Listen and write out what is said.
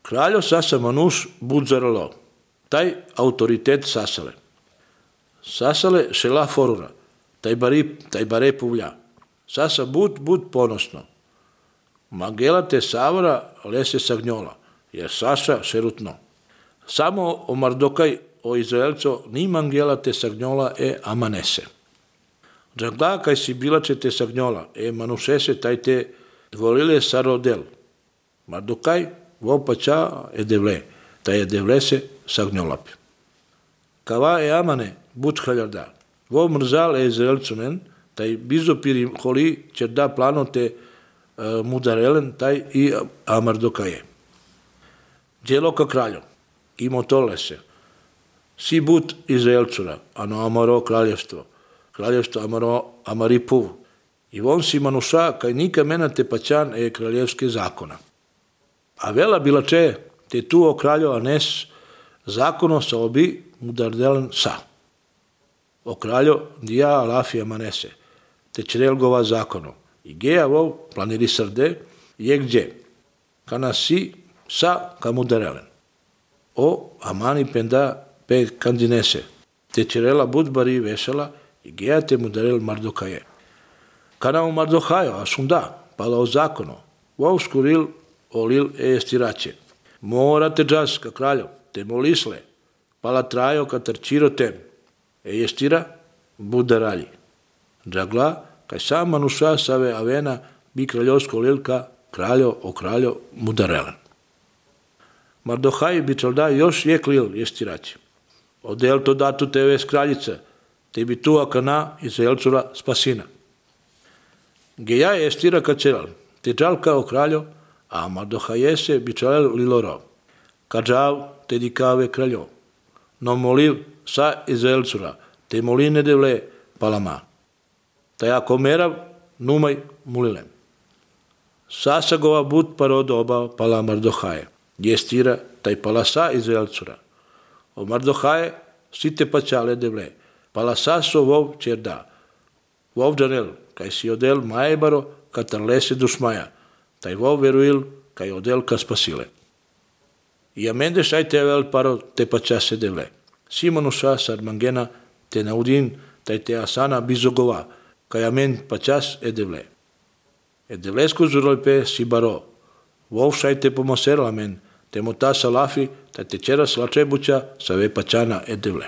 Kraljo Sasa Manuš Budzaralo, taj autoritet Sasale. Sasale šela forura, taj bare puvlja. Sasa bud ponosno. Magela te savora lese sagnjola, jer Sasa šerutno. Samo o Mardokaj o Izraelco ni mangela te sagnjola amanese. Džagla kaj si bilače te sagnjola manušese taj te volile sarodel. Mardokaj vopača devle, taj devlese sagnjolape. Kava amane bud haljarda. Vo mrzal Izraelcunen, taj bizopiri holi čerda plano te mudarelen, taj i Mardokaje. Djelo ka kraljo, imo tole se. Si bud Izraelcura, ano amaro kraljevstvo amari puv. I on si manuša, kaj nika mena te paćan kraljevske zakona. A vela bila če, te tu o kraljo anes zakono sa obi mudardelen sa. O kraljo dija alafi amanese, te črelgova zakono. I geja vov planiri srde, je gdje. Kana si sa kamudarelen. O amani penda pe kandinese, te črela budbari vesela i geja te mudarel Mardokaje. Kana u Mardokajo, a sunda, pala o zakono, vov skuril olil estirače. Morate džas ka kraljo, te molisle, pala trajo ka trčiro tem. Estira budaralji. Džagla, kaj sam manuša save avena bi kraljovsko lilka kraljo mudarelen. Mardokaj bi čelda još je klil estirače. Odel to datu teve kraljica, te bi tu akana Izraelcura spasina. Geja estira ka čelal, te džal kao kraljo, a Mardokajese bi čelal liloro. Ka džav te dikave kraljo. No moliv sa Izraelcura, te moline devle palama. Taj ako merav, numaj mulilem. Sasagova bud parodoba pala Mardokaje. Jestira taj pala sa Izraelcura. O Mardokaje site paćale devle. Pala saso vov čerda. Vov džanel, kaj si odel majbaro katar lese dušmaja. Taj vov veruil kaj odel ka spasile. I amende šaj tevel paro te paćase devle. Simonuša sarmangena te naudin taj te asana bizogova. Kaj amen paćas devle. Devlesko zurojpe si baro. Vov šaj te pomoser amen. Te mota salafi, taj te čera slačebuća sa ve paćana devle.